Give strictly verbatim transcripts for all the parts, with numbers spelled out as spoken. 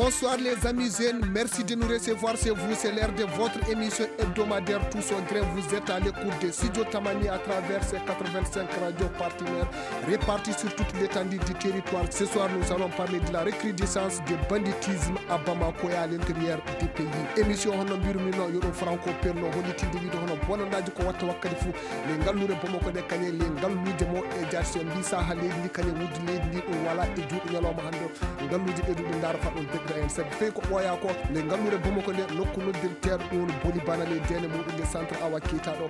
Bonsoir les amis jeunes, merci de nous recevoir chez vous. C'est l'heure de votre émission hebdomadaire Tous au Grain. Vous êtes à l'écoute de Studio Tamani à travers ses quatre-vingt-cinq radios partenaires réparties sur toute l'étendue du territoire. Ce soir, nous allons parler de la recrudescence de banditisme à Bamako et à l'intérieur du pays. Émission hono mbirumi no yo ɗum Franco Perno hollitinde wiide hono bonandaaji ko watta wakkati fof le ngalluure Bamako nde kañe le ngalluuje mo e jaati so mbi saha leydi ndi kañe wuddu leydi ndi ɗum wala e juuɗe ñalawma hannde. Ngalluuji ɓeyduɗi ndaara fa ɗum deɗɗa en sabi fey ko ɓooya ko nde ngalluure Bamako nde nokku noddirteeɗo ɗum woni Boli Bana ley deene muɗum nde centre awa kiitaɗo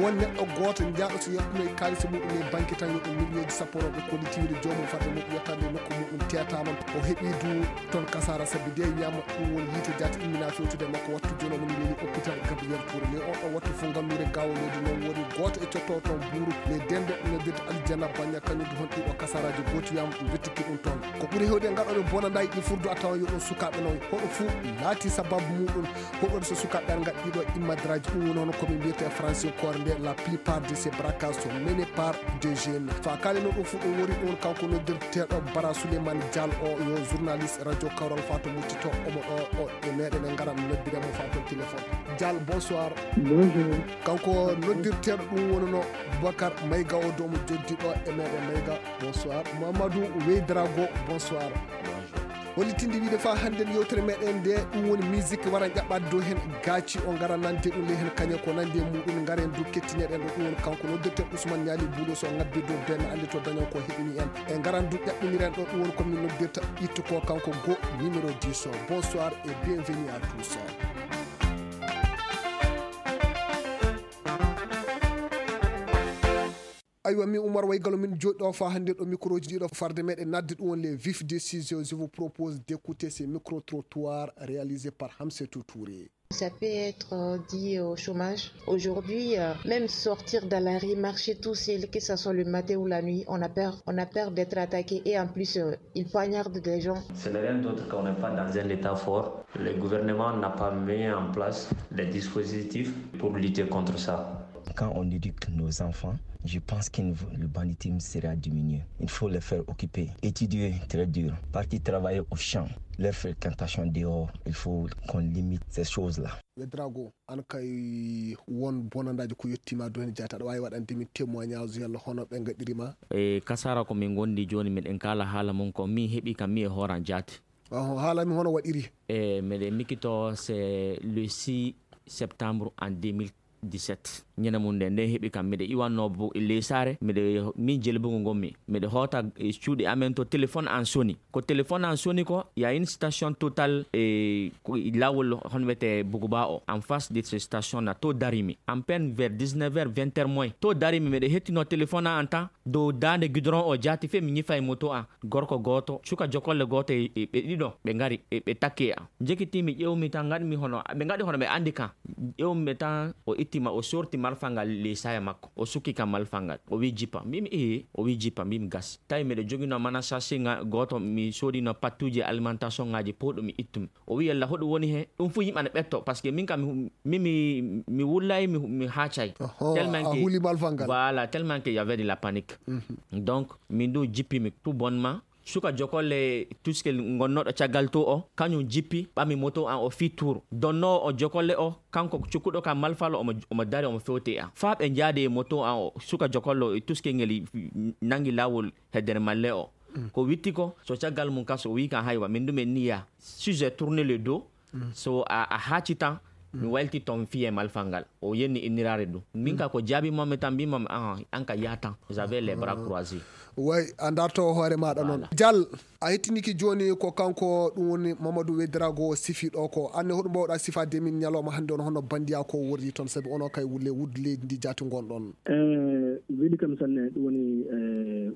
won neɗɗo gooto njaaɗo so yettunoy kaalisi muɗum e banque tan yo ɗum millioji sappo rewɓe kollitiiɗo joomum fadde muɗum yettande nokku muɗum teetama o heɓi du toon kasara sabi de wiyama ɗum woni yiite jaati immina fewtude makko wattu jono mum leli hôpital Gabriel Touré le on ɗo wattu fof ngalluure gawo leydi noon woni gooto e cotto toon buuru le dende noddirde Aljanna Baña kañum du hon ɗiɗo kasaraji gooti wiyama ɓe bettiki ɗum toon ko ɓuri hewde gaɗoɓe bonanɗa yiɗi furdu a tawa yo ɗum sukaɓe noon hoɗo fuu laati sababu muɗum hoɗo so sukaɓe an gaɗɗiɗo immadraji ɗum woni hono komin mbiyete e français koore nde la plupart de ces braquages sont menés par des jeunes fa kali noon ɗum fof ɗum woni ɗum kanko noddirteɗo Bara Souleymane Dial o yo journaliste radio Kawral fa to muccito omo ɗo o e meɗen e garan noddire mo fa toon téléphone. Dial, bonsoir. Bonjour. Kanko noddirteɗo ɗum wonano Boubacar Mayga o domo joddi ɗo e meɗen Mayga. Bonsoir. Mamadou Weydrago, bonsoir. Bonjour. Hollitinde wiide fa hannden yewtere meɗen nde ɗum woni musique wara jaɓɓade dow hen gaaci o ngara nande ɗum ley hen kañe ko nande muɗum ngaren dow kettineɗen ɗo ɗum woni kanko noddirten Ousmane Niali Boulos o ngabbi dow benne ande to dañan ko heɓini en e ngaran dow ƴaɓɓiniren ɗo ɗum woni komin noddirta ittu ko kanko go numéro dix o. Bonsoir et bienvenue à tous. Aywa, min Oumar Waygalo min jooɗi ɗo fa hannde ɗo microji ɗiɗo farde meɗen nadde ɗum won les vifs des sujets. Je vous propose d'écouter ces micro-trottoirs réalisés par Hamsetou Touré. Ça peut être euh, dit au chômage. Aujourd'hui, euh, même sortir dans la rue, marcher tout seul, que ce soit le matin ou la nuit, on a peur. On a peur d'être attaqué et en plus, euh, ils poignardent des gens. Ce n'est rien d'autre qu'on n'est pas dans un état fort. Le gouvernement n'a pas mis en place des dispositifs pour lutter contre ça. Quand on éduque nos enfants, je pense que le banditisme sera diminué. Il faut les faire occuper, étudier très dur, partir travailler au champ. Leur fréquentation dehors, il faut qu'on limite ces choses-là. Wedrago, an kay won bonandaji ko yettima do hen jaata aɗa wawi waɗande min témoignage yalla hono ɓe gaɗirima. E kasara ko min gondi joni miɗen kala haala mum ko min heɓi kam mi e hooran jaati. Oho, haala mi hono waɗiri. E miɗen mikito c'est le six septembre en deux mille dix-sept. Ñande mum nde nde heɓi kam miɗo iwanno ley saare miɗo min jelbugu ngonmi miɗo hoota e cuuɗi amen to téléphone an soni ko téléphone an soni ko ya une station Total e lawol hon wiyete Buguba o en face de ce station na to darimi en peine vers dix-neuf heures vingt heures moins to darimi miɗo hettino téléphone an tan dow daande gudron o jaati fe mi ñifa e moto an gorko gooto suka jokolle gooto e ɓe ɗiɗo ɓe ngari ɓe takki e am jekitimi ƴewmi tan gaɗmi hono ɓe gaɗi hono ɓe andi kan ƴewmi ɓe tan o ittima o sorti malfal ngal ley saya makko o sukki kam malfal ngal o wi jippa mbimi ee o wi jippa mbimi gas tawi miɗo jogino mana sachet gooto mi sodino pattuji alimentation ngaji powɗo mi ittumi o wi yalla hoɗum woni he ɗum fof yimɓe ana ɓetto par ce que min kam mi mi mi wullay mi mi haacay tellement que voilà tellement que y avait de la panique donc min du jippimi tout bonnement suka jokolle tuskel gonnoɗo caggal to o kañum jippi ɓami moto an o fi tour donnowo o jokolle o kanko cukkuɗo ka malfalo omo, omo dari omo fewte an fa ɓe jaade e moto an o suka jokolle o e tuskel ngel nangi lawol heddere malle o ko witti ko so caggal mum kas o wi kan haywa min ɗum en niya sujet tourne le dos so a, a haaci tan mi waylti toon fiye malfal ngal o yenni inniraare ɗum min ka ko jaabi momi tan mbimomi an an ka yaha tan vous avez les bras croisés way a darto hoore maɗa noon dial a hettiniki joni ko kanko ɗum woni mamadou wedrago sifi ɗo ko anne hoɗum mbawɗa sifade min ñalawma hannde on hono bandiya ko wordi toon saabi ono kay wulle wudde leydi ndi jaati gonɗon weɗi kam sanne ɗum woni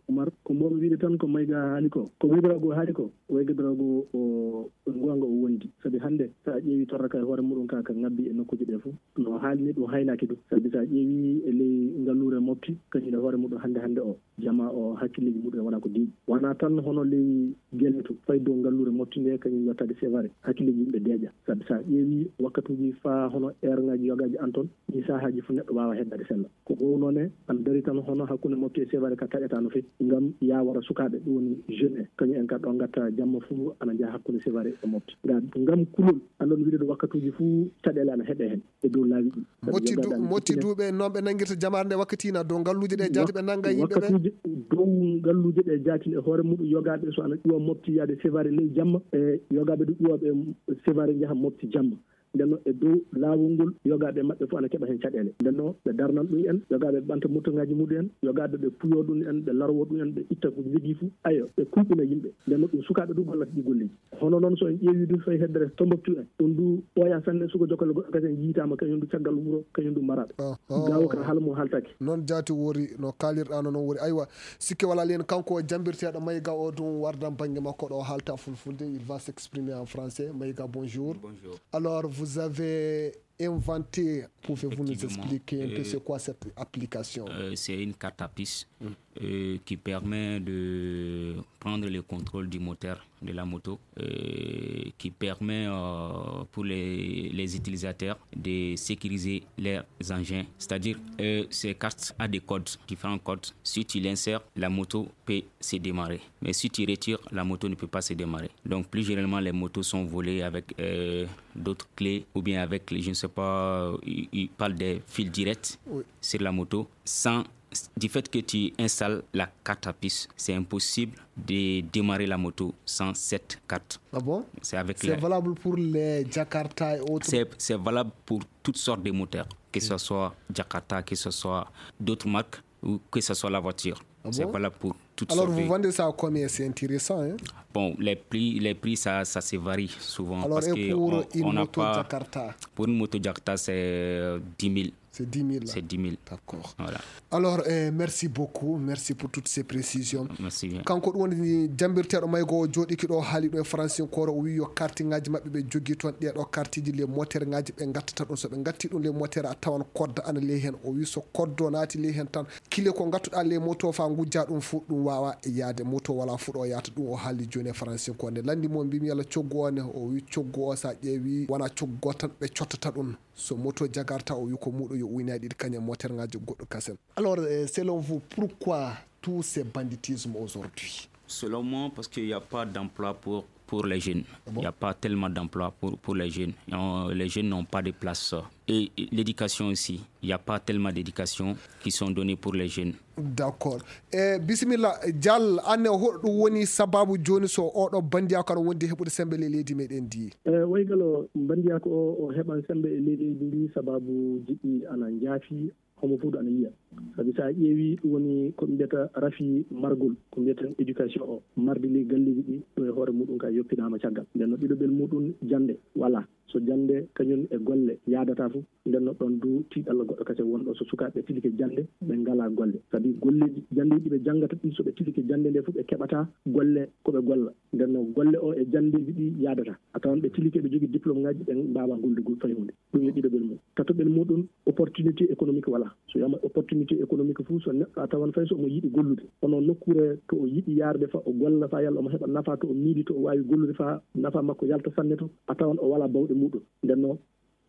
umar ko mbomi wiide tan ko mayga haali ko ko wedrago haali ko wayga drago o gonga o wondi sabi hannde so a ƴeewi torraka e hoore muɗum ka ka ngabbi e nokkuji ɗe fof no haalni ɗum haylaki ɗum sabi so a ƴeewi e ley ngalluure mofti kañum e hoore muɗum hannde hannde o jama o hakkilleji muɗum wona ko deeƴi wona tan hono ley gueele to fayi dow ngalluure mofti nde kañum yettade sevare hakkilleji yimɓe deeƴa sabi so a ƴeewi wakkatuji fa hono heure ngaji yogaji an toon ɗi sahaji fof neɗɗo wawa heddade sella ko gowno ne ana dari tan hono hakkunde mofti e sevare ka taƴata no fewi ngam yawara sukaaɓe, ɗum woni jeune en, kañum en kadi ɗo ngatta jamma fuu ana njaha hakkunde Sévaré e Mopti. Nga-, ngam kulol, an ɗon wiɗde wakkatuuji fuu caɗeele ana heɓe heen e dow laawi ɗi. Sabi Motti yogaaɓe du-, ana Motti ƴettine duuɓe noon ɓe nanngirta jamaare nde wakkati na dow ngalluuje ɗe jaati ɓe nannga yimɓe ɓe? Wakkatuuji dow ngalluuje ɗe jaati e hoore muɗum yogaaɓe so ana ƴuwa Mopti yaade Sévaré ley jamma, e yogaaɓe du ƴuwa ɓe Sévaré njaha Mopti jamma. Nden noon e dow laawol ngol, yogaaɓe maɓɓe fof ana keɓa heen caɗeele. Nden noon ɓe darnan ɗum en, yogaaɓe ɓe ɓanta motoŋaaji muɗum en, yogaaɓe ɓe puyo ɗum en, ɓe larwo ɗum en, ɓe itta ko njogii fof. Ayo, ɓe kulɓina yimɓe. Nden noon ɗum sukaaɓe du gollata ɗi golleeji. Hono noon so en ƴeewi du fay heddere Tombouctou en, ɗum du ɓooya sanne, suka jokkale goɗɗo kasen yiitaama, kañum du caggal wuro, kañum du maraaɓe. Ah, ah. Gawo ka haala mum haaltaaki. Noon jaati wori, no kaalirɗaa no noon wori. Aywa, sikke walaa heen kanko jambirteeɗo Maïga o ɗum wardan bannge makko ɗo haalta fulfulde, il va s'exprimer en français. Maïga, bonjour. Bonjour. Alors, vous avez inventé, pouvez-vous nous Effectivement. Expliquer un peu Euh, c'est quoi cette application? Euh, c'est une carte à puce, euh, qui permet de prendre le contrôle du moteur de la moto, euh, qui permet, euh, pour les, les utilisateurs de sécuriser leurs engins. C'est-à-dire, euh, ces cartes a des codes, différents codes. Si tu l'insères, la moto peut se démarrer. Mais si tu retires, la moto ne peut pas se démarrer. Donc, plus généralement, les motos sont volées avec, euh, d'autres clés ou bien avec, je ne sais pas, ils, ils parlent des fils directs Oui. sur la moto. Sans, du fait que tu installes la carte à puce, c'est impossible de démarrer la moto sans cette carte. Ah bon? C'est avec C'est la valable pour les Jakarta et autres? C'est, c'est valable pour toutes sortes de moteurs, que ce soit Jakarta, que ce soit d'autres marques, ou que ce soit la voiture. Ah bon? C'est valable pour toutes Alors, sortes vous de vendez ça à combien? C'est intéressant, hein? Bon, les prix, les prix, ça, ça se varie souvent. Alors, parce et que pour on, une on n'a moto pas Jakarta? Pour une moto Jakarta, c'est, euh, dix mille. C'est dix mille, là. C'est dix mille. D'accord. Voilà. Alors, euh, merci beaucoup. Merci pour toutes ces précisions. Merci bien. Kanko ɗum woni jambirteeɗo Maïga o jooɗiki ɗo haali ɗo e faransinkoore, o wi yo kartiŋaaji maɓɓe ɓe jogii toon ɗee ɗo kartiji les moteur ŋaaji ɓe ngattata ɗum. So ɓe ngatti ɗum les moteur a tawan kodda ana ley heen. O wi so koddo naati ley heen tan, kile ko ngattuɗaa les moto faa ngujja ɗum fof ɗum waawa yaade. Moto wala fuɗo yaata ɗum o haali jooni e faransinkoore. Nde lanndi mo mbimi yalla coggu o ne, o wi coggu o sa ƴeewi wona coggu tan ɓe cottata ɗum. So moto jagarta o wi ko muuɗo yo uynaye ɗiɗi kañum moteur ŋaaji goɗɗo kasen. Alors, euh, selon vous, pourquoi tout ce banditisme aujourd'hui? Selon moi, parce qu'il n'y a pas d'emploi pour, pour les jeunes. Ah bon? Il n'y a pas tellement d'emploi pour, pour les jeunes. Euh, les jeunes n'ont pas de place. Et, et l'éducation aussi, il n'y a pas tellement d'éducation qui sont données pour les jeunes. D'accord. E bisimilla, Dial, anne hoɗo ɗum woni sababu jooni so oɗo bandiyaaku aɗa wondi heɓude sembe ley leydi meɗen ndi? E waygalo bandiyaaku o, o heɓan sembe e ley leydi ndi sababu jiɗi ana njaafi, homo fof ana yiya. Sabi so a ƴeewi ɗum woni ko ɓe mbiyata rafi margol, ko mbiyeten éducation o, marde ley galleeji ɗi, ɗum e hoore muɗum ka yoppinaama caggal. Nden no ɗiɗoɓel muɗum jannde wala. So jannde kañum e golle yaadata fof, nden no ɗon du tiiɗalla goɗɗo kasen wonɗo so sukaaɓe tilike jannde, ɓe ngalaa golle. Sabi golleeji janndeeji ɓe janngata ɗi, so ɓe tilike jannde nde fof, ɓe keɓata golle ko ɓe golla. Nden no golle o e janndeeji ɗi yaadata. A tawan ɓe tilike, ɓe jogii diplôme ŋaaji, ɓe mbaawaa gollugol fay huunde. Ɗum yo ɗiɗoɓel mum. Tatoɓel muɗum, opportunité économique wala. So wiyama opportunité économique fof, so neɗɗo a tawan fay so omo yiɗi gollude. Kono nokkuure to o yiɗi yaarde fa o golla fa yalla omo heɓa nafa, to o miili to o waawi gollude fa nafa makko yalta sanne to, a tawan o wala bawɗe muɗum. Nden no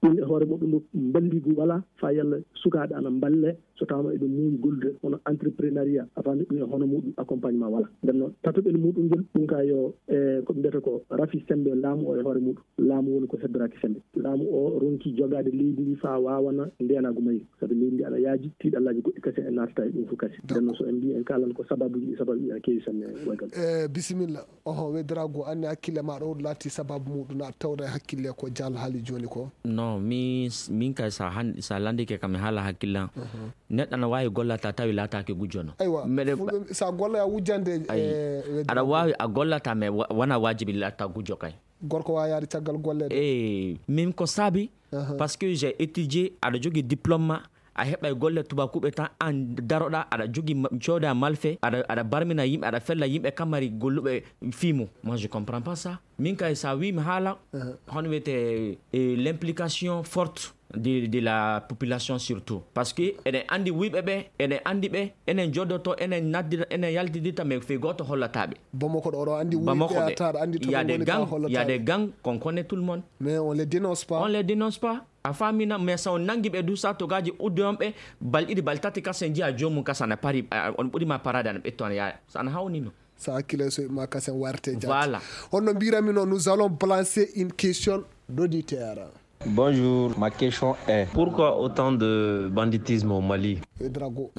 ɗum e hoore muɗum ɗum balligu wala fa yalla sukaaɓe ana mballe so tawama eɓe muuyi gollude hono entrepreneuriat, a faami, ɗum e hono muɗum accompagnement wala. Nden no tatoɓel muɗum ngel ɗum ka yo, e, ko ɓe mbiyata ko rafi sembe laamu o e hoore muɗum. Laamu woni ko heddoraki sembe. Laamu o ronki jogaade leydi ndi faa waawana ndeenaagu mayri. Sabi leydi ndi ana yaaji, tiiɗallaaji goɗɗi kasen e naatata e ɗum fof kasen. Nden noon so en mbii en kaalan ko sababuuji ɗi, sababuuji ana keewi sanne waygal. E, bisimilla. Oho, weddiraagu, anne hakkille ma ɗo laati sababu muɗum na tawda e hakkille ko Dial haali jooni ko? Non, mi, min kay sa han-, sa landike kam mi haala hakkille am. Mhm. Neɗɗo ana waawi gollata tawi laataaki gujjo no. Aywa, mbeɗe fulɓe, sa golla ya wujjande, ayi, e, weddiraagu. Aɗa waawi a gollata mais wa-, wona waajibi laata gujjo kay. Gorko waawi yaade caggal golle de. Eh, min ko saabi, aha, parce que j'ai étudié, aɗa jogii diplôme ma, a heɓay golle tubakuɓe tan, an daroɗa, aɗa jogii ma-, cooda malfe, aɗa, aɗa barmina yimɓe, aɗa fella yimɓe kamari golluɓe fii mum. Moi, je comprends pas ça. Min kay sa wi mi haala, aha, hono wiyete, eh, l'implication forte de, de la population surtout. Parce que eɗen anndi wuyɓe ɓe, eɗen anndi ɓe, enen joddoto, enen naddira, enen yaltidita, mais fii gooto hollata ɓe. Bamako ɗo, ɗo anndi wuyɓe Bamako ɓe. Ata, aɗa anndi to il y a ɓe des woni ka gangs, il y a hollata des ɓe. Gangs qu'on connaît tout le monde. Mais on les dénonce pas. On les dénonce pas. A faami na? Mais so on nangi ɓe du, sa togaaji udde on ɓe, bal ɗiɗi, bal tati, kasen njiya joomum kasa na pari, a, on ɓuri ma parade, ana ɓetto, ana yaaya. So ana hawni no. Sa hakkile so ma kasen warte jaati. Voilà. Honno mbirami no, nous allons balancer une question d'auditeur. Bonjour, ma question est, pourquoi autant de banditisme au Mali ? Et Drago.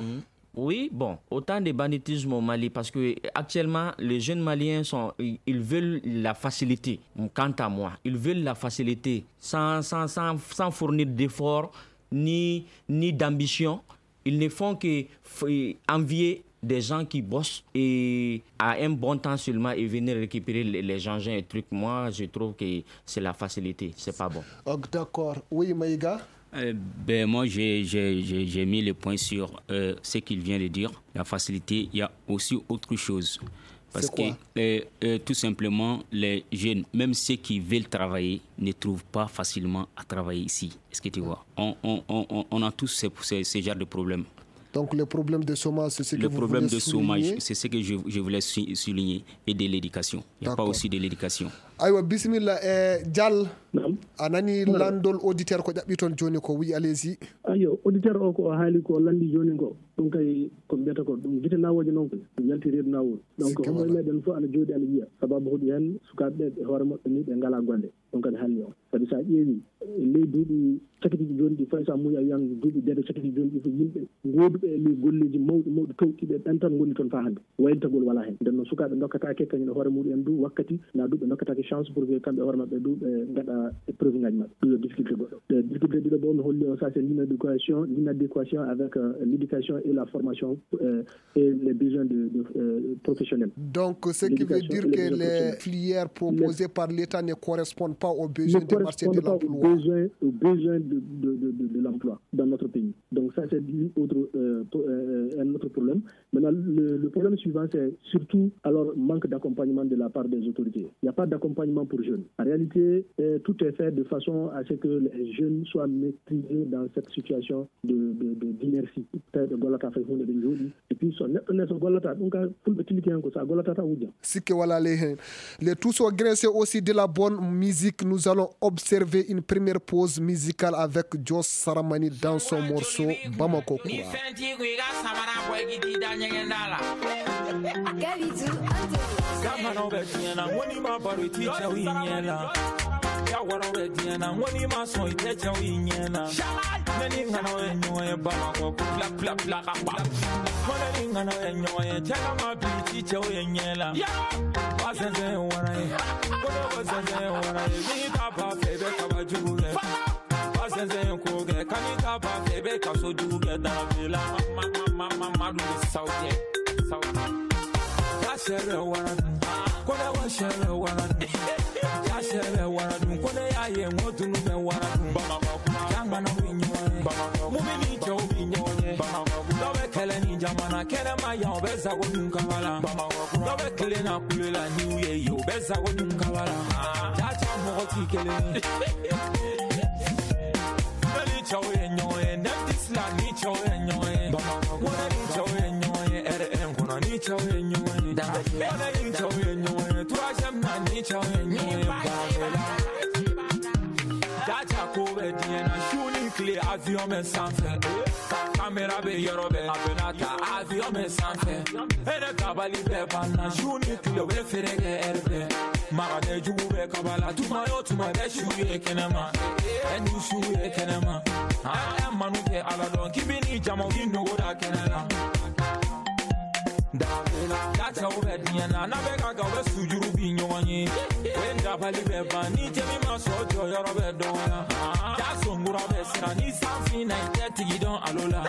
Oui, bon, autant de banditisme au Mali, parce que actuellement, les jeunes maliens sont, ils, ils veulent la facilité. Quant à moi, ils veulent la facilité, sans, sans, sans, sans fournir d'efforts, ni, ni d'ambition. Ils ne font que f-, envier des gens qui bossent et à un bon temps seulement et venir récupérer les, les engins et trucs. Moi, je trouve que c'est la facilité, c'est pas bon. Ok, d'accord. Oui, Maïga ? Euh, ben, moi, j'ai, j'ai, j'ai, j'ai mis le point sur, euh, ce qu'il vient de dire. La facilité, il y a aussi autre chose. Parce que, euh, euh, tout simplement, les jeunes, même ceux qui veulent travailler, ne trouvent pas facilement à travailler ici. Est-ce que tu vois ? On, on, on, on, on a tous ces, ces, ces genres de problèmes. Donc, le problème de chômage, c'est ce que vous voulez souligner ? Le problème de chômage, c'est ce que je, je voulais sou-, souligner. Et de l'éducation. Il n'y a pas aussi de l'éducation. D'accord. Aywa, bisimilla, eh, Dial. Naam. A nani landol auditeur ko ƴaɓɓi toon jooni ko, wi, allez-y. Ayo, auditeur o ko o haali ko o landi jooni ko, ɗum kay ko mbiyata ko ɗum gite nawooje noon ko ɗum yalti reedu nawooru. Donc, homo e meɗen fof ana jooɗi ana yiya. Sababu hoɗi heen sukaaɓe ɓe, ɓe hoore maɓɓe ni ɓe ngalaa golle. Ɗum kadi haalni on. Sabi so a ƴeewi, e ley duuɓi cakitiiɗi jooni ɗi, fay so a muuyi a wiyan duuɓi dede cakitiiɗi jooni ɗi fof, yimɓe gooduɓe e ley golleeji mawɗi, mawɗi, towɗi ɓe, ɓen tan ngoni toon faa hannde. Waylitagol walaa heen. Nden noon, sukaaɓe ndokkataake kañum e hoore muɗum en du wakkati, na du ɓe ndokkataake chance pour que kamɓe e hoore maɓɓe du ɓe ngaɗa épreuve ngaji maɓɓe. Ɗum yo difficulté goɗɗo. E difficulté ɗiɗo bo, mi holli on, ça c'est l'inadéquation, l'inadéquation avec, euh, l'éducation et la formation, euh, et les besoins de, de, euh, professionnels. Donc, ce qui veut dire que les filières proposées par l'État ne correspondent pas aux besoins du marché de l'emploi. Ne correspondent pas aux besoins, aux besoins de, de, de, de, de l'emploi dans notre pays. Donc, ça, c'est une autre, euh, pro-, euh, un autre problème. Maintenant, le, le problème suivant, c'est surtout, alors, manque d'accompagnement de la part des autorités. Il n'y a pas d'accompagnement pour jeunes. En réalité, euh, tout est fait de façon à ce que les jeunes soient maîtrisés dans cette situation de, de, de, d'inertie. Tawi ɓe gollataa fay huunde, ɓe njooɗii. Et puis, so neɗɗo ne so gollataa, ɗum ka fulɓe tilki heen ko, so a gollataa tan a wujjan. Sikke walaa ley heen. Les tous sont graissés aussi de la bonne musique. Nous allons observer une première pause musicale avec Joss Saramani dans son morceau Bamako Kura. Kalidou on the mix. Kamano bɛ diɲɛ na, ŋɔni ma baro i ti cɛw i ɲɛ la. Yawaro bɛ diɲɛ na, ŋɔni ma sɔn i tɛ cɛw i ɲɛ la. Mɛ ni ŋana ye ɲɔgɔn ye Bamakɔ, ko fila, fila, fila ka ban. Mɔnɛ ni ŋana ye ɲɔgɔn ye, cɛ ka ma bi i ti cɛw ye ɲɛ la. Ba sɛnsɛn ye wara ye, ko ne ko sɛnsɛn ye wara ye. N'i ta ba fɛ, i bɛ kaba jugu kɛ. Ba sɛnsɛn ye ko kɛ, kan'i ta ba fɛ, i bɛ kaso jugu kɛ. Darabi la, ma, ma, ma, ma, ma, ma, dun saw kɛ, saw kɛ. Ba sɛ bɛ wara dun, ko ne ko sɛ bɛ wara dun. Ba sɛ bɛ wara dun, ko ne y'a ye, n ko dunu bɛ wara dun. Bamakɔ, Jamana bɛ ɲɔgɔn ye. Bamakɔ. Mobili cɛw bɛ ɲɔgɔn ye. Bamakɔ. Dɔ bɛ kɛlɛ ni jamana kɛnɛma yan, o bɛ sago dun kaba la. Bamakɔ. Dɔ bɛ kelen na kule la ni u ye yen, o bɛ sago dun kaba la. Jaja mɔgɔ t'i kelen ye. Mali cɛw ye ɲɔgɔn ye. Nɛgɛsi la ni cɛw ye ɲɔgɔn ye. Bamakɔ. Mɔnɛ ni cɛw ye ɲɔgɔn ye. R M kɔnɔ ni cɛw ye ɲɔgɔn ye. Dangajɛ. Mɔnɛ ni cɛw ye ɲɔgɔn ye. Troisième na ni cɛw ye ɲɔgɔn ye. Bamakɔ. Jaja ko bɛ diɲɛ na, su ni tile, avion bɛ sanfɛ. Kamera bɛ yɔrɔ bɛɛ, a bɛna ta avion bɛɛ sanfɛ. Hɛrɛ tabali bɛɛ banna, su ni tile, u bɛ feere kɛ hɛrɛ bɛɛ. Maga bɛ jugu bɛɛ kaba la, tuma o tuma bɛ su ye kɛnɛma. Ɛ, ni su ye kɛnɛma. Ɛ, ɛ, manu tɛ Ala dɔn, k'i bɛ ni jama, k'i nogo da kɛnɛ la. Dabila, da cɛw bɛ diɲɛ na, n'a bɛ ka, ka, u bɛ sujuru bi ɲɔgɔn ye. O ye dabali bɛ ban, ni jɛmi ma sɔn jɔyɔrɔ bɛ dɔgɔya. Da sɔnkura bɛ siran, ni san finna, i tɛ tigi dɔn alo la.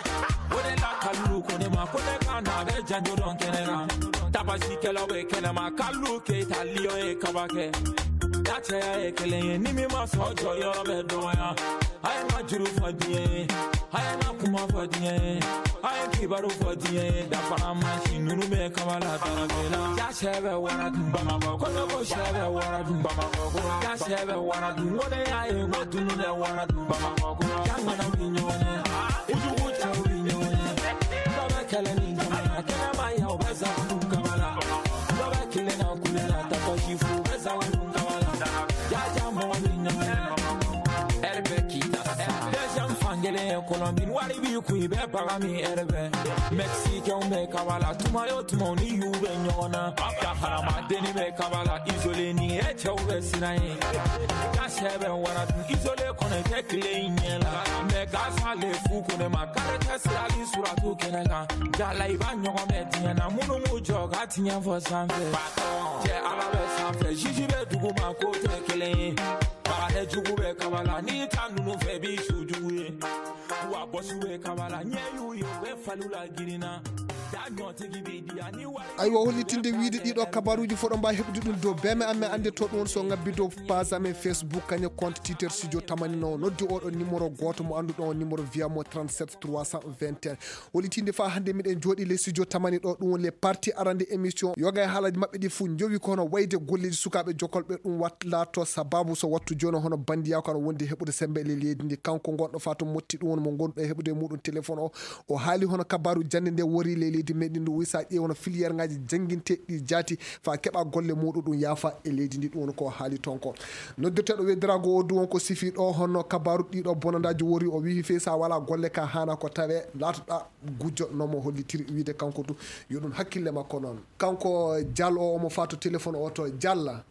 O de la, Kalilu ko ne ma, ko ne ka na, a bɛ janjo dɔn kɛnɛ kan. Tabasikɛlaw bɛ kɛnɛma, Kalilu Keyita, Lion ye kaba kɛ. Da cɛya ye kelen ye, ni min ma sɔn jɔyɔrɔ bɛ dɔgɔya. A ye n ka juru fɔ diɲɛ ye, a ye n ka kuma fɔ diɲɛ ye, a ye n kibaru fɔ diɲɛ ye. Dafara mansin ninnu bɛ kaba la, Darabela. Ja sɛ bɛ wara dun, Bamakɔ. Ko ne ko sɛ bɛ wara dun, Bamakɔ. Ja sɛ bɛ wara dun, ko ne y'a ye, ko tunu bɛ wara dun, Bamakɔ. Jamana bɛ ɲɔgɔn ye, kojugu cɛw bɛ ɲɔgɔn ye. Dɔ bɛ kɛlɛ ni jamana kɛnɛma yan, u bɛ sago dun kaba la. Dɔ bɛ kelen na kule la, tapɔsi fu, u bɛ sago dun kaba la. Jaja mɔgɔ bɛ ɲɔgɔn ye, hɛrɛ bɛ k'i ta. Din wari bi ku i bɛ baga min ɛrɛ bɛ. Mexicain bɛ kaba la, tuma yo tuma ni y'u bɛ ɲɔgɔn na. Ka harama deni bɛ kaba la, isolé ni e cɛw bɛ siran ye. Ka sɛ bɛ wara dun, isolé kɔnɔ tɛ tile in ɲɛ la. Mais ka sale fu ko ne ma, kare tɛ sirali suratu kɛnɛ kan. Jala i b'a ɲɔgɔn bɛ diɲɛ na, minnu m'u jɔ ka tiɲɛ fɔ sanfɛ. Cɛ Ala bɛ sanfɛ, juge bɛ duguma, ko tɛ kelen ye. Baganɛ jugu bɛ kaba la, n'i ta ninnu fɛ, b'i su jugu ye. Wa bɔsu bɛ kaba la, ɲɛ y'u ye, u bɛ faliw la girinna. Da ɲɔtigi b'i di yan, ni wari Aywa, hollitinde wiide ɗiɗo kabaruuji fof ɗo mbaawi heɓude ɗum dow beme amen, annde to ɗum woni so ngabbi dow page amen Facebook, kañum compte Twitter Studio Tamani no noddi oɗo numéro gooto mo annduɗon, numéro via mo trente-sept trois cent vingt et un. Hollitinde fa hannde miɗen jooɗi les Studio Tamani ɗo, ɗum woni les partie arande émission. Yoga e haalaaji maɓɓe ɗi fof njowi ko hono wayde golleeji sukaaɓe jokolɓe ɗum wat-, laato sababu so wattu jooni hono bandiyaaku ana wondi heɓude sembe e leydi ndi. Kanko gonɗo fa to motti ɗum woni mo ngonɗo e heɓude e muɗum téléphone o. O haali hono kabaru jannde nde wori ley leydi meɗen ndu, wi sa ƴeewi hono filière ngaji jannginteɗi ɗi jaati fa keɓa golle muɗum ɗum yaafa e leydi ndi, ɗum woni ko haali toon ko. Noddirteɗo weddirago o du won ko sifi ɗo hono kabaru ɗiɗo bonandaji wori, o wihi fey sa wala golle ka hana ko tawe latoɗa gujjo no mo hollitiri wiide kanko du yo ɗum hakkille makko noon. Kanko Diallo o omo fato téléphone o to Dialla.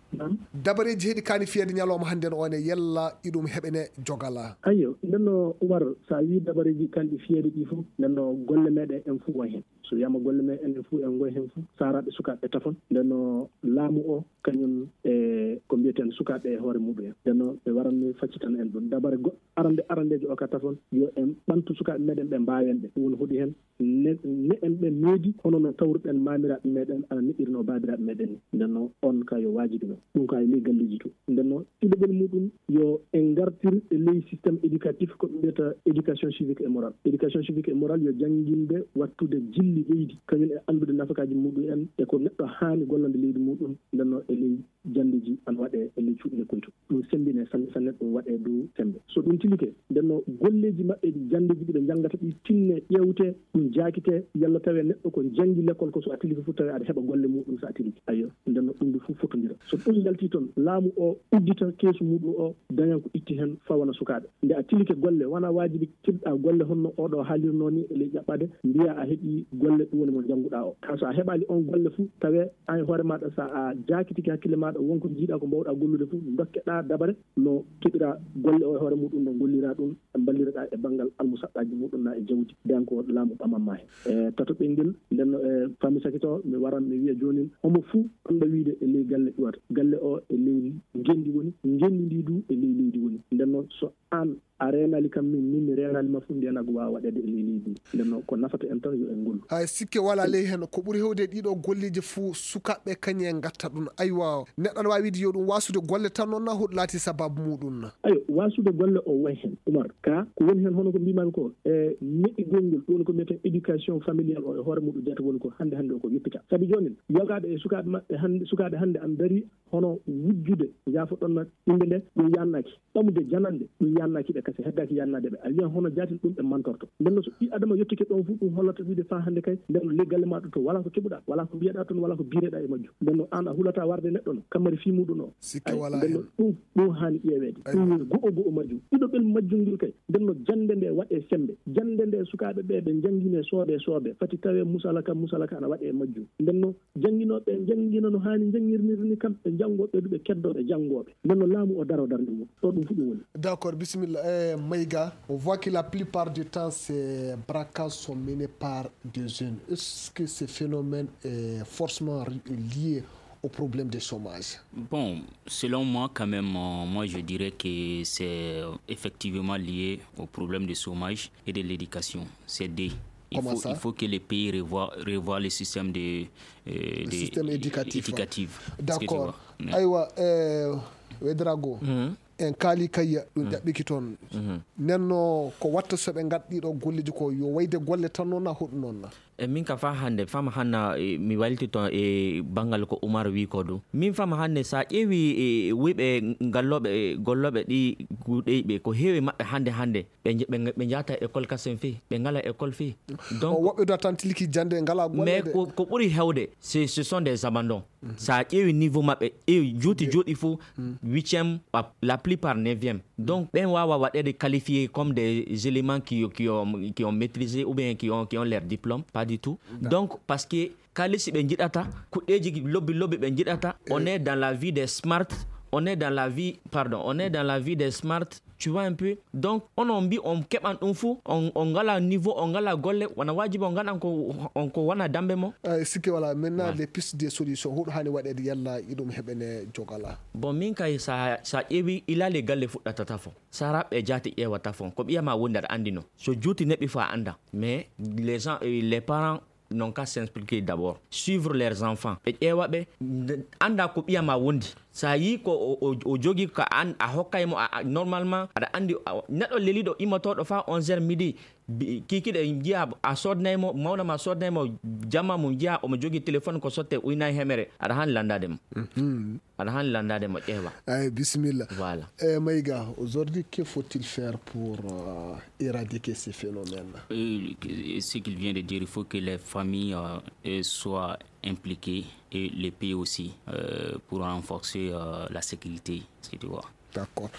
Dabareeji heɗi kaani fiyeede ñalawma hannde no one yella iɗum heɓene jogala. Ayyo, nden no Umar, so a wii dabareeji kanɗi fiyeede ɗi fof, nden no golle meɗen en fof won heen. So wiyaama golle meɗen en fof en ngoy heen fof, saaraaɓe sukaaɓe tafon. Nden no laamu o, kañum e ko mbiyeten sukaaɓe e hoore muɗum en. Nden no ɓe waranno faccitan en ɗum. Dabare goɗɗo arande arandeejo o ka tafon, yo en ɓantu sukaaɓe meɗen ɓe mbaawen ɓe. Ɗum woni hoɗi heen ne, ne en ɓe needi, hono no tawruɗen maamiraaɓe meɗen ana neɗɗirno baabiraaɓe meɗen ni. Nden no on ka yo waajibi no. Ɗum ka e ley galleeji to. Nden no ɗiɗaɓel muɗum yo en ngartir e ley système éducatif ko ɓe mbiyata éducation civique et morale. Éducation civique et morale yo jannginde wattude jilli leydi, kañum e anndude nafakaaji muɗum en e ko neɗɗo haani gollande leydi muɗum. Nden no e ley janndeji ana waɗe e ley cuuɗi lekkol to. Ɗum semmbine sanne sanne, ɗum waɗe dow semmbe. So ɗum tilike, nden no golleeji maɓɓe ɗi janndeji ɗi ɓe njanngata ɗi tinne, ƴeewte, ɗum jaakite, yalla tawe neɗɗo ko janngi lekkol ko so a tilike fof tawe aɗa heɓa golle muɗum so a tilike. Ayyo, nden no ɗum du fof fotondira. So ɗum yalti toon, laamu o uddita keesu muɗum o, dañan ko itti heen fawana sukaaɓe. Nde a tilike golle, wona waajibi keɓɗa golle honno oɗo haalirno ni e ley ƴaɓɓade, mbiya a heɓi golle ɗum woni mo njannguɗa o. Ka so a heɓaali on golle fof, tawe an e hoore maɗa so a jaakitike hakkille maɗa, wonko jiiɗa ko mbawɗa gollude fof, dokkeɗa dabare no keɓira golle o e hoore muɗum, no gollira ɗum, mballiraɗa e banngal almusaɗɗaji muɗum na e jawdi, den ko laamu ɓamamma he. E tato ɓenngel, nden no e fami sakito, mi waran mi wiya joonin, homo fuu ɓanɗo wiide e ley galle iwata. Galle o e ley ngenndi woni, ngenndi ndi du e ley leydi woni. Nden noon so aan a reenaali kam min, min mi reenaali ma fof, mbiya nago waawa waɗeede e ley leydi ndi. Nden noon ko nafata en tan yo en ngollu. Hay sikke wala ley heen, ko ɓuri hewde e ɗiɗo golleeji fof sukaaɓe kañum en ngatta ɗum. Aywa, neɗɗo ana waawi wiide yo ɗum wasude golle tan noon na hoɗum laati sababu muɗum na? Ayo, wasude golle o way heen, Umar. Ka ko woni heen hono ko mbimami ko, e neɗɗi gongol, ɗum woni ko mbiyeten éducation familiale o e hoore muɗum jata woni ko hannde hannde o ko yeppita. Sabi joonin, yogaaɓe e sukaaɓe maɓɓe hannde, sukaaɓe hannde ana ndarii hono wujjude, njaafoɗon na innde nde, ɗum yaannaaki. Ɓamude janande, ɗum yaannaaki ɓe, kasi heddaaki yaannade ɓe. A wiyan hono jaatin ɗum ɓe mantorto. Nden no so ɓii adama yettike ɗon fof, ɗum hollata wiide faa hannde kay, nden no ley galle maa ɗo to, walaa ko keɓuɗaa, walaa ko mbiyeɗaa toon, walaa ko biireɗaa e majjum. Nden no aan a hulataa warde neɗɗo no, kammari fii muɗum o. Sikke walaa heen. Nden no ɗum, ɗum haani ƴeeweede. Aywa. Ɗum woni go'o go'o majjum. Ɗiɗoɓel majjum ngel kay, nden no jannde nde waɗee semmbe. Jannde nde sukaaɓe ɓe ɓe njanngine soodee soodee. Fati tawee musala ka, musala ka ana waɗee e majjum. Nden no jannginooɓe ɓe njanngina no haani njanngirnirde ni kamɓe janngooɓe ɓe du ɓe keddoo ɓe janngooɓe. Nden no laamu o daroo darnde mum. Ɗo ɗum fof ɗum woni. D'accord, bisimilla. Eh, Maïga, on voit que la plupart du temps, ces braquages sont menés par des jeunes. Est-ce que ce phénomène est forcément ri-, lié au problème de chômage? Bon, selon moi, quand même, euh, moi, je dirais que c'est, euh, effectivement lié au problème de chômage et de l'éducation. C'est deux. Il Comment faut, ça? Il faut que les pays revoient, revoient le système de, euh, Le de système éducatif. Éducatif. Est-ce que tu D'accord. Vois? Mm. Aywa, eh, Wedrago, Mhm. en kaali kayya, ɗum Mhm. ɗaɓɓiki toon. Mhm. Nden no ko watta so ɓe ngat ɗiɗo golleeji ko yo wayde golle tan noon na hoɗum noon na? E min ka faa hannde, fama hanna, e, mi wayliti toon e banngal ko Umar wi ko ɗum. Min fama hannde, so a ƴeewi, e, wuyɓe ngallooɓe, e, gollooɓe ɗi Ɗuuɗey ɓe, ko heewi maɓɓe hannde, hannde, ɓe nje-, ɓe, ɓe njahata école kasen fii, ɓe ngalaa école fii. Donc, woɓɓe du a tan tilki jannde, ngalaa golle mais de. Ko, ko ɓuri heewde, c'est, ce sont des abandons. Mhm. So a ƴeewi niveau maɓɓe, ƴeewi juuti, juuti fof, huitième, la, la plupart neuvième. Donc, ɓen waawa waɗeede qualifié comme des éléments qui, qui ont, qui ont maîtrisé ou bien qui ont, qui ont leur diplôme, pas du tout. D'accord. Donc, parce que kaalisi ɓe njiɗata, kuɗɗeeji lobbi lobbi ɓe njiɗata. On est dans la vie des smart, on est dans la vie, pardon, on est dans la vie des smart, tu vois un peu. Donc, onon mbi on keɓan ɗum fuu, on, on ngalaa niveau, on ngalaa golle, wona waajibi on ngaɗan ko, on ko wona dambe mo. Eh, sikke wala, maintenant, les pistes de solution, huɗo hani waɗeede yalla iɗum heɓene jogala. Bon, min kay sa, sa ƴeewi ilale galle fuɗɗata tafo. Sara ɓe jaati ƴeewata fon. Ko ɓiya ma wondi aɗa anndi no. So juuti neɓi fa annda. Mais les gens, eh, les parents n'ont qu'à s'impliquer d'abord. Suivre leurs enfants. Ɓe ƴeewa ɓe, nde, annda ko ɓiya ma wondi. Sa yi ko o, o, o jogi ka an, a hokkay mo, a, a, normalement, aɗa anndi, a, neɗɗo leliɗo immotooɗo fa onze heures midi, bi-, kikiɗe njiya a sodnay mo, mawna ma sodnay mo, jamma mum njiya omo jogi téléphone ko sotte uynay hemere. Aɗa han lanndade mo. Mhm. Aɗa han lanndade mo ƴeewa. Ay, bisimilla. Voilà. Eh, Maïga, aujourd'hui, que faut-il faire pour, euh, éradiquer ces phénomènes? Et ce qu'il vient de dire, il faut que les familles, euh, euh, soient impliquées et les pays aussi, euh, pour renforcer, euh, la sécurité, si tu vois. D'accord.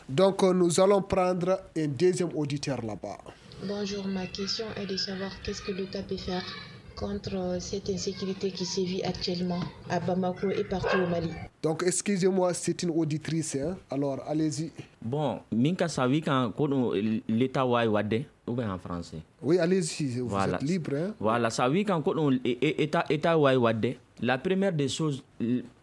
Donc, euh, nous allons prendre un deuxième auditeur là-bas. Bonjour, ma question est de savoir qu'est-ce que l'État peut faire contre, euh, cette insécurité qui sévit actuellement à Bamako et partout au Mali. Donc, excusez-moi, c'est une auditrice, hein. Alors, allez-y. Bon, min ka sa wi kan ko ɗum l'État wawi wadde, ou bien en français? Oui, allez-y, vous êtes libre, hein. Voilà, sa wi kan ko ɗum e-, e-, État, État wawi wadde. La première des choses,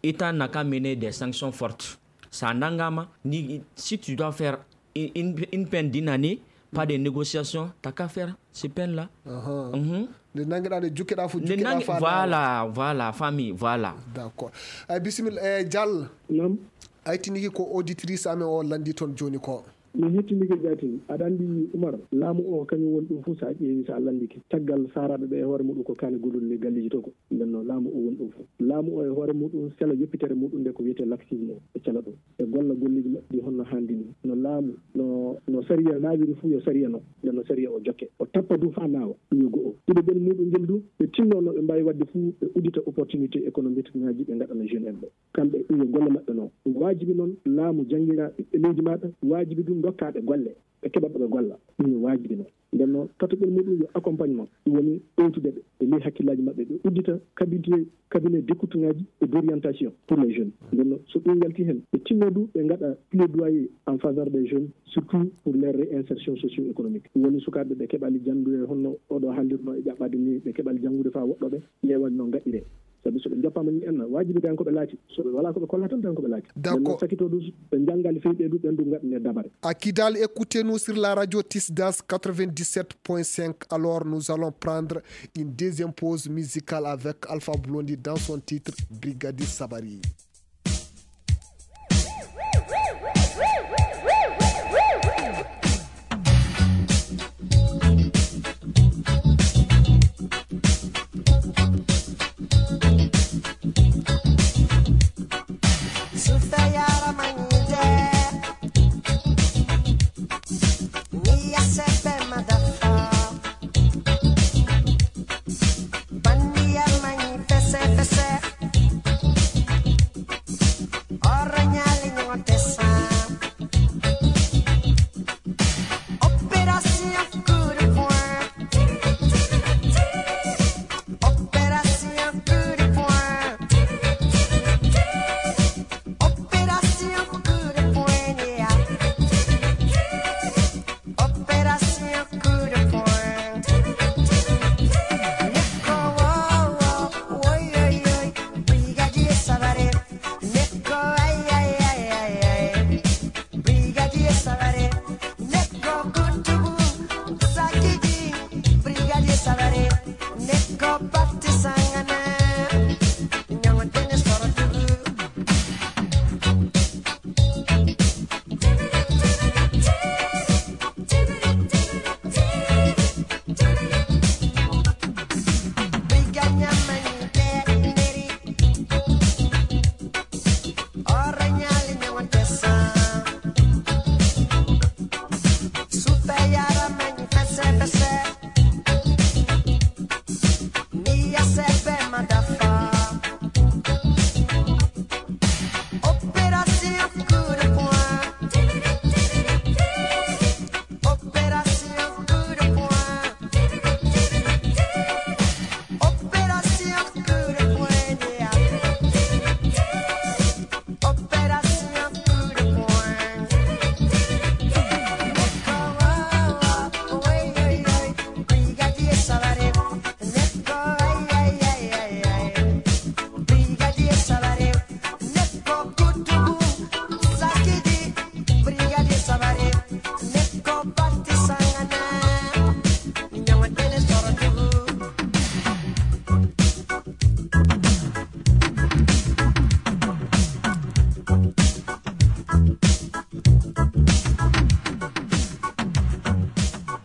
l'État n'a qu'à mener des sanctions fortes. Sa nangama, ni, si tu dois faire une, une, une peine d'une année, pas de négociation, t'as qu'à faire ces peines-là. Ahan. Mhm. Nde nangiɗa, nde jukkeɗa fu, nde jukkeɗa nangi-, fa voilà, voilà, famille, voilà. D'accord. Ay, bisimilla, eh, Diallo. Naam. Ay, tiniki ko auditrice amen o landi toon jooni ko. Mi hettindike jaatin. Aɗa anndi, Umar, laamu o kañum woni ɗum fof, so a ƴeewi, so a lanndike. Caggal saaraaɓe ɓe e hoore muɗum ko kaane gollude ley galleeji to ko. Nden noon, laamu o woni ɗum fof. Laamu o e hoore muɗum sela yoppitere muɗum nde ko wiyetee laxisme o, ɓe cela ɗum. Ɓe golla golleeji maɓɓe ɗi honno haandi ni. No laamu, no, no sariya naawiri fof yo sariya noon. Nden no sariya o jokke. O tappa ɗum haa naawa. Ɗum yo go'o. Ɗiɗaɓel muɗum ngel du, ɓe tinno no ɓe mbaawi waɗde fof, ɓe uddita opportunité économique ŋaaji ɓe ngaɗana jeune en ɓe. Kamɓe, ɗum yo golle maɓɓe noon. Ɗum waajibi noon laamu jannginaa ɓiɓɓe leydi maaɗa, waajibi ɗum ndokkaaɓe golle, ɓe keɓa ɓe golla. Ɗum yo waajibi noon. Nden noon, tataɓel muɗum yo accompagnement. Ɗum woni ɗowtude ɓe e ley hakkillaaji maɓɓe, ɓe uddita cabinet, cabinet d'écoute ŋaaji et d'orientation pour les jeunes. Nden noon, so ɗum yalti heen, ɓe tinno du ɓe ngaɗa plaidoyer en faveur des jeunes, surtout pour leur réinsertion socio-économique. Ɗum woni sukaaɓe ɓe keɓali janndude honno oɗo haallirno e ƴaɓɓaade ni, ɓe keɓali janngude faa woɗɗoo ɓe, ƴeewa no ngaɗiree. Sabi so ɓe njoppaama ni enna, waajibi tan ko ɓe laaci. So ɓe walaa ko ɓe kolla tan, tan ko ɓe laaci. D'accord. Ɓen noon sakitoo du, ɓe njanngaali feyɓe du, ɓen du ngaɗanee dabare. À Kidal, écoutez-nous sur la radio Tisdas quatre-vingt-dix-sept point cinq. Alors, nous allons prendre une deuxième pause musicale avec Alpha Blondy dans son titre Brigadi Sabari.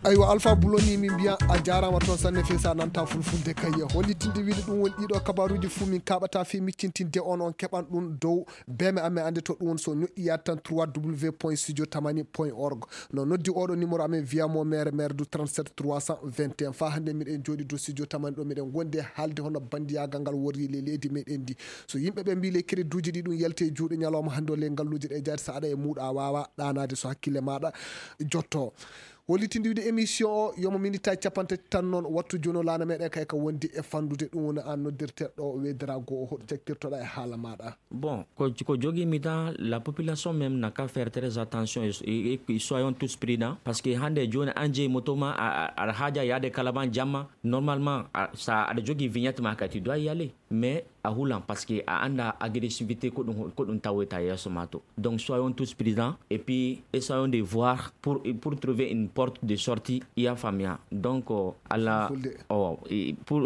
Aywa, Alpha Buloni, min mbiya a jaaraama toon sanne, fii so a nanta fulfulde kay. Hollitinde wiide ɗum woni ɗiɗo kabaruuji fuu min kaɓata fii miccintinde on, on keɓan ɗum dow beeme amen, annde to ɗum woni so ñoƴƴi yaade tan trois W point studio tamani point org. No noddi oɗo numéro amen, wiya mo mere mere du trente-sept trois cent vingt et un. Faa hannde miɗen jooɗi dow studio tamani ɗo, miɗen ngondi e haalde hono banndiyagal ngal worri ley leydi meɗen ndi. So yimɓe ɓe mbii ley crédit uji ɗi ɗum yalti e juuɗe ñalawma hannde o ley ngalluuje ɗe jaati, so aɗa e muuɗa a waawaa ɗaanaade so hakkille maaɗa jotto. Hollitinde wiide émission o, yomo minitaji capanɗe tati tan noon, wattu jooni o laana meɗen kay ka wondi e fandude, ɗum woni an noddirteɗo weydara goo o, hoɗo caktirtoɗa e haala maaɗa? Bon, ko, ko jogii mi tan, la population même n'a qu'à faire très attention et, et, et soyons tous prudents, parce que hannde jooni an jeyi moto ma, a, a, aɗa haaja yaade Kalaban jamma, normalement, a, sa aɗa jogii vignette ma kay, tu dois y aller. Mais a hulan, parce que a annda agressivité ko ɗum, ko ɗum tawoyta yeeso ma to. Donc, soyons tous prudents et puis essayons de voir pour, pour trouver une porte de sortie, ya famia. Donc, euh, Allah, Fulfulde. Oh, et pour,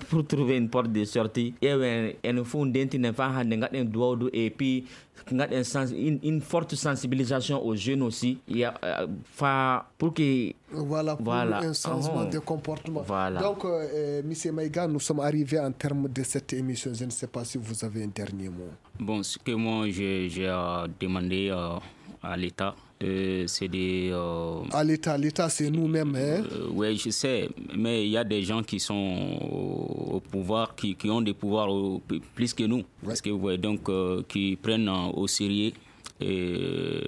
pour trouver une porte de sortie, ƴeewen, enen fof ndentinen faa hannde, ngaɗen duwawdu et puis ngaɗen sens-, une, une forte sensibilisation aux jeunes aussi. Il y a, euh, fa-, pour que Voilà, pour Voilà. un changement Uhum. de comportement. Voilà. Donc, euh, euh, monsieur Maïga, nous sommes arrivés en termes de cette émission. Je ne sais pas si vous avez un dernier mot. Bon, ce que moi, je, j'ai à demander, euh, à l'État, euh, c'est de, euh, À l'État, l'État, c'est nous-mêmes, hein. Euh, ouais, je sais, mais il y a des gens qui sont au, au pouvoir, qui, qui ont des pouvoirs au- plus que nous. Ouais. Parce que, ouais, donc, euh, qui prennent, euh, au sérieux, euh,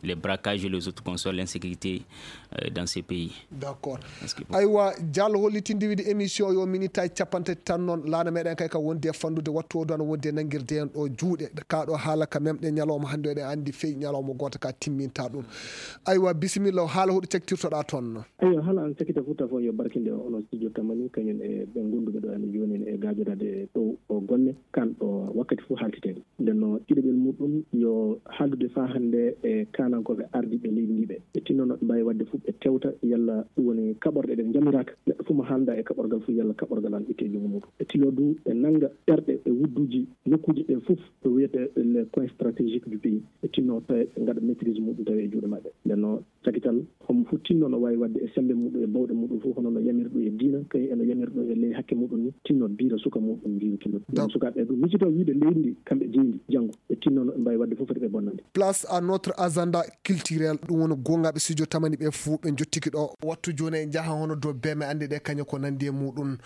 les braquages et les autres consorts, l'insécurité, euh, dans ces pays. D'accord. Parce que, bon. Aywa, Diallo, hollitinde wiide émission yo minitaji capanɗe tati tan noon, laana meɗen kay ka wondi e fandude, wattu o ɗo ana wondi e nangirde en ɗo juuɗe. Ka ɗo haala ka memɗen ñalawma hannde, eɗen anndi fey ñalawma gooto ka timminta ɗum. Aywa, bisimilla, o haala hoɗo caktirtoɗa toon? Aywa, haala an cakita fof, tafo yo barkinde o, onon studio tamani, kañum e ɓe gonduɓe ɗo ene jooni e gaajoraade ɗo o golle, kan ɗo wakkati fof haaltiteede. Nden no ɗiɗaɓel muɗum yo haaldude faa hannde e kaanankooɓe ardiiɓe leydi ndi ɓe. Ɓe tinno no ɓe mbaawi waɗde fof ɓe tewta yalla ɗum woni kaɓorɗe ɗe njamiraaka. Neɗɗo fof mo haalda e kaɓorgal fof yalla kaɓorgal an itte e junngo muɗum. Ɓe tilo du ɓe nannga ɓerɗe e wudduuji nokkuuji ɗe fof ko wiyetee les coins stratégiques du pays. Ɓe tinno tawi ɓe ngaɗa maîtrise muɗum tawi e juuɗe maɓɓe. Nden no cakital, homo fof tinno no waawi waɗde e semmbe muɗum e bawɗe muɗum fof, hono no yamiri ɗum e diina, kañum eno yamiri ɗum e ley hakke muɗum ni, tinno diira suka muɗum, diiru tinno. Ɗum sukaaɓe ɗum, micito wiide leydi ndi, kamɓe jeyi ndi, janngo, ɓe tinno no ɓe mbaawi waɗde fof foti ɓe bonnande. Place à notre agenda culturel, ɗum woni goongaaɓe studio tamani ɓe fof ɓe njottiki ɗo. Wattu jooni en njaha hono dow beeme anndi ɗe kañum ko nanndi e muɗum.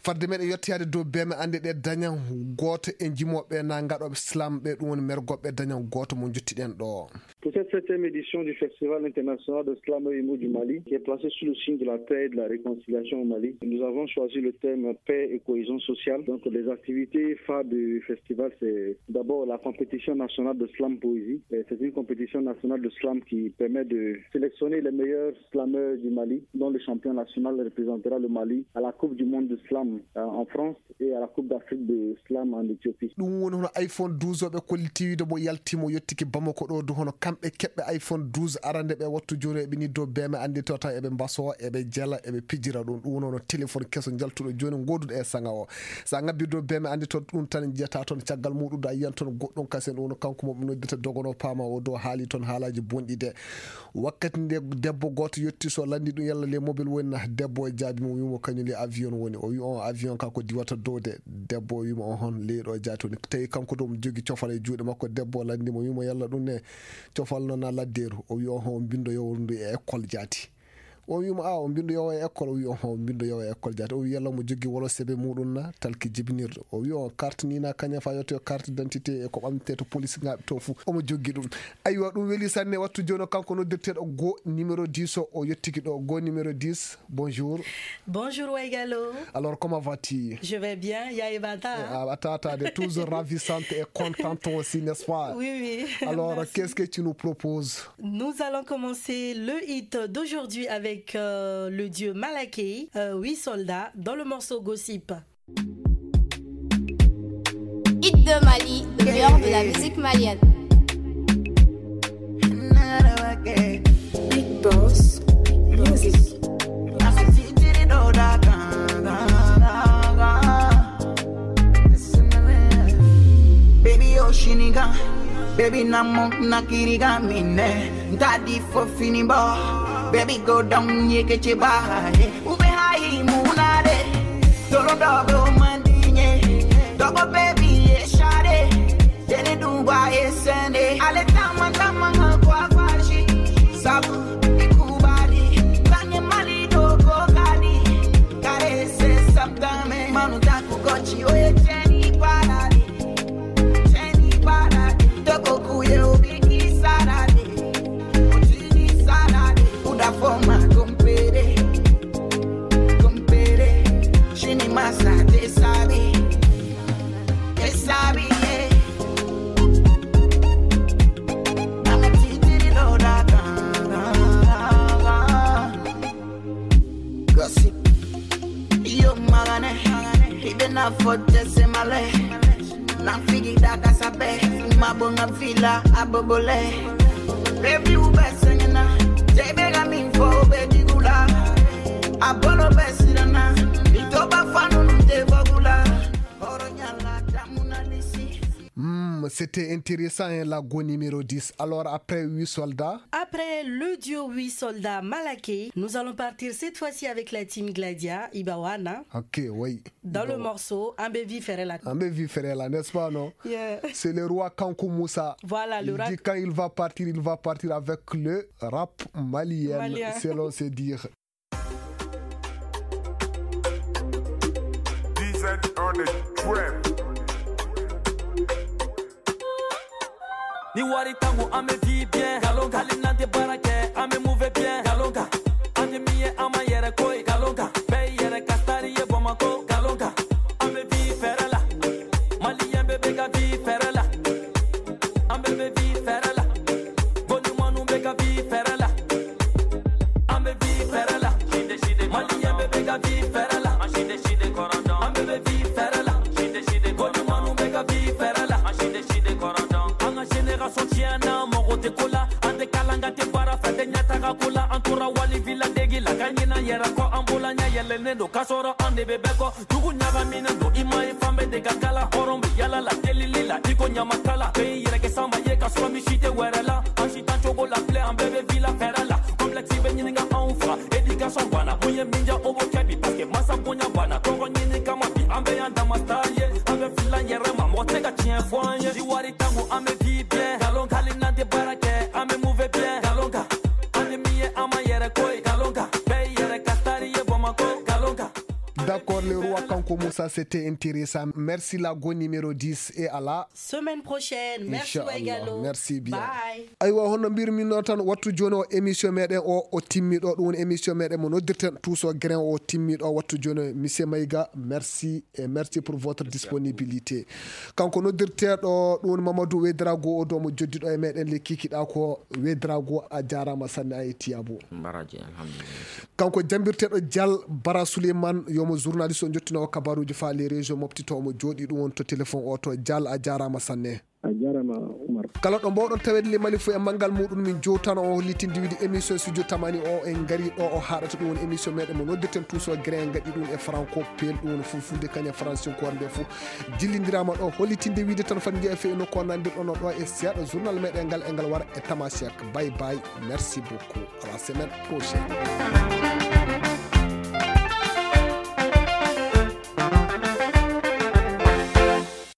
Fadde meɗen yettoyaade dow beeme anndi ɗe dañan gooto e njimooɓe na ngaɗooɓe slam ɓe, ɗum woni mergooɓe dañan gooto mo njottiɗen ɗo. Pour cette septième édition du Festival international de slam et humour du Mali, qui est placé sous le signe de la paix et de la réconciliation au Mali, nous avons choisi le thème paix et cohésion sociale. Donc, les activités phares du festival, c'est d'abord la compétition nationale de slam poésie. Et c'est une compétition nationale de slam qui permet de sélectionner les meilleurs slameurs du Mali, dont le champion national représentera le Mali à la Coupe du monde de slam, euh, en France et à la Coupe d'Afrique de slam en Éthiopie. Ɗum woni hono iPhone douze o ɓe kolliti wiide mo yalti mo yottiki Bamako ɗo du, hono kamɓe keɓɓe iPhone douze arande ɓe. Wattu jooni eɓe ni dow beeme anndi to taw eɓe mbaso, eɓe jela, eɓe pijira ɗum. Ɗum woni hono téléphone keso jaltuɗo jooni ngoduɗo e saŋa o. Sa ngabbi dow beeme anndi to ɗum tan jiyata toon caggal muɗum da yiyan toon goɗɗum kasen ɗum woni kanko mo ɓe noddita dogono paama o dow haali toon haalaji bonɗi de. Wakkati nde debbo gooto yetti so lanndi ɗum yalla le mobile woni na, debbo o jaabi mo, wimo kañum le avion woni. O wi on avion ka ko diwata dow de. Debbo o wimo on hon leyɗo jaati woni. Tawi kanko ɗo mo jogi cofal e juuɗe makko, debbo o lanndi mo, wimo yalla ɗum ne cofal noon na laddeeru? O wi on hon bindo yowru ndu e école jaati. O wimo a o bindo yowo e école, o wi on hon bindo yowo e école jaati. O wi yalla mo jogi wolo sebe muɗum na talki jibinirɗo. O wi on carte ni na kañum fa yotto carte d'identité e ko ɓamte to police ngaɓe to fu. Omo joggi ɗum. Aywa, ɗum weli sanne. Wattu jooni o kanko noddirteɗo Go numéro dix o, o yettiki ɗo. Go numéro dix, bonjour. Bonjour Waigalo. Alors, comment vas-tu? Je vais bien, Yaye Bata. Ah, Tata, de toujours ravissante et contente aussi, n'est-ce pas? Oui, oui. Alors, merci. Qu'est-ce que tu nous proposes? Nous allons commencer le hit d'aujourd'hui avec, euh, le duo Malaké, euh, Oui Soldat, dans le morceau Gossip. Hit de Mali, meilleur de la musique malienne. Big Boss Music. Baby, Oshiniga, baby, Namo, Nakiriga, Mine, Daddy for Finibo. Baby go down, ye ke che ba, eh. Ube hai munade. Dolo dogo mandinye. Dogo baby, ye shade. Dene duba, ye sende. Ale tama, tama, ha, kwa, kwa, shi. Sabu, ikubali. Tanye mali, dogo, kani. Kare se, sabdame. Manu, taku, kochi, oye, cheni, parade. Cheni, parade. Toko, kuye, obiki, sarade. Chini, sarade. Uda, forma, compere. Compere. Chini, masa, te sabi. Te sabi, yeah. Nana, titiri, do, da, da, da, da. Gossip. Yo magane, ibe na fote se male. Na figi da kasabe, mabonga vila abobole. Baby ube sengena, jebe ga min fo be digula. Abolo be sirana, itoba fanu nte vogula. Oro nyala damuna lisi. Hmm, c'était intéressant, hein, la go numéro dix. Alors, après huit soldats. Après le duo huit soldats Malaké, nous allons partir cette fois-ci avec la team Gladia, Ibawana. Ok, oui. Dans le morceau Ambe Vi Ferela. Ambe Vi Ferela, n'est-ce pas, non? Yeah. C'est le roi Kankou Moussa. Voilà, le rap. Il dit quand il va partir, il va partir avec le rap malien, malien, selon ses dires. D Z on the trap. Ni wari tangu ame di bien. Galonga. Hali nante barake ame move bien. Galonga. Ande miye ama yere koi. Galonga. Be yere kastari ye bomako. Galonga. Ame vi ferela. Mali yembe bega vi ferela. Ambe be vi ferela. Goni manu bega vi ferela. Ambe vi ferela. Mali yembe bega vi ferela. Ambe be vi ferela. Goni manu bega vi ferela. Anga génération tiana mogo te kola. Ande kalanga te bara fete nyata ka kola. Antura wali villa degi la kanyina yera ko ambola nya yele nendo kasoro ande be beko. Dugu ɲagaminen don, i ma ye fan bɛɛ de ka kala. Hɔrɔn bɛ yala la, delili la, i ko ɲamakala. Bɛɛ y'i yɛrɛ kɛ sanba ye, ka sɔrɔ misi tɛ wɛrɛ la. An si tan cogo la filɛ, an bɛɛ bɛ vi la fɛɛrɛ la. Complexe bɛ ɲininka anw fa, éducation banna. Mun ye min diya, o b'o kɛ bi, parce que masa bonya banna. Tɔgɔ ɲini kama bi, an bɛ yan dama star ye. An bɛ fila yɛrɛ ma, mɔgɔ tɛ ka tiɲɛ fɔ an ye. Ni wari tangu, an bɛ vi bien. Nkalon kali n'an tɛ baara kɛ, an bɛ mauvais bien. Nkalon kan, an ni min ye, an ma yɛrɛ ko ye. Nkalon kan, bɛɛ y'i yɛrɛ ka star ye Bamakɔ. Nkalon kan. D'accord, le roi Kanko Moussa, c'était intéressant. Merci la go numéro dix et à la semaine prochaine. Merci Waigalo. Merci bien. Bye. Aywa, hono mbirmi no tan, wattu joni o émission meɗen o, o timmi ɗo. Ɗum woni émission meɗen mo noddirten Tuuso Grain o timmi ɗo. Wattu joni o, monsieur Maïga, merci et merci pour votre disponibilité. Kanko noddirteɗo ɗum woni Mamadou Wedrago, o domo joddiɗo e meɗen le kikiɗa ko. Wedrago, a jarama sanne, a e Tiyabo. Mbaraji, alhamdulillah. Kanko jambirteɗo Dial Bara Souleymane, yomo journaliste o jottino o kabaruji fa les régions mofti to omo jooɗi ɗum woni to téléphone o to. Dial, a jarama sanne. A jarama, Oumar. Kala ɗo mbawɗon tawede le Mali fo e manngal muɗum, min jowtano o hollitinde wiide émission Studio Tamani o en ngari ɗo o haɗata. Ɗum woni émission meɗen mo noddirten Tuuso Grain, gaɗi ɗum e franco pel, ɗum woni fulfulde kañum e francinkoore nde fof. Jillindirama ɗo hollitinde wiide tan fat jeeya fe e nokku o nandirɗon o ɗo e seeɗa journal meɗen ngal e ngal wara e Tamasiak. Bye bye, merci beaucoup, à la semaine prochaine.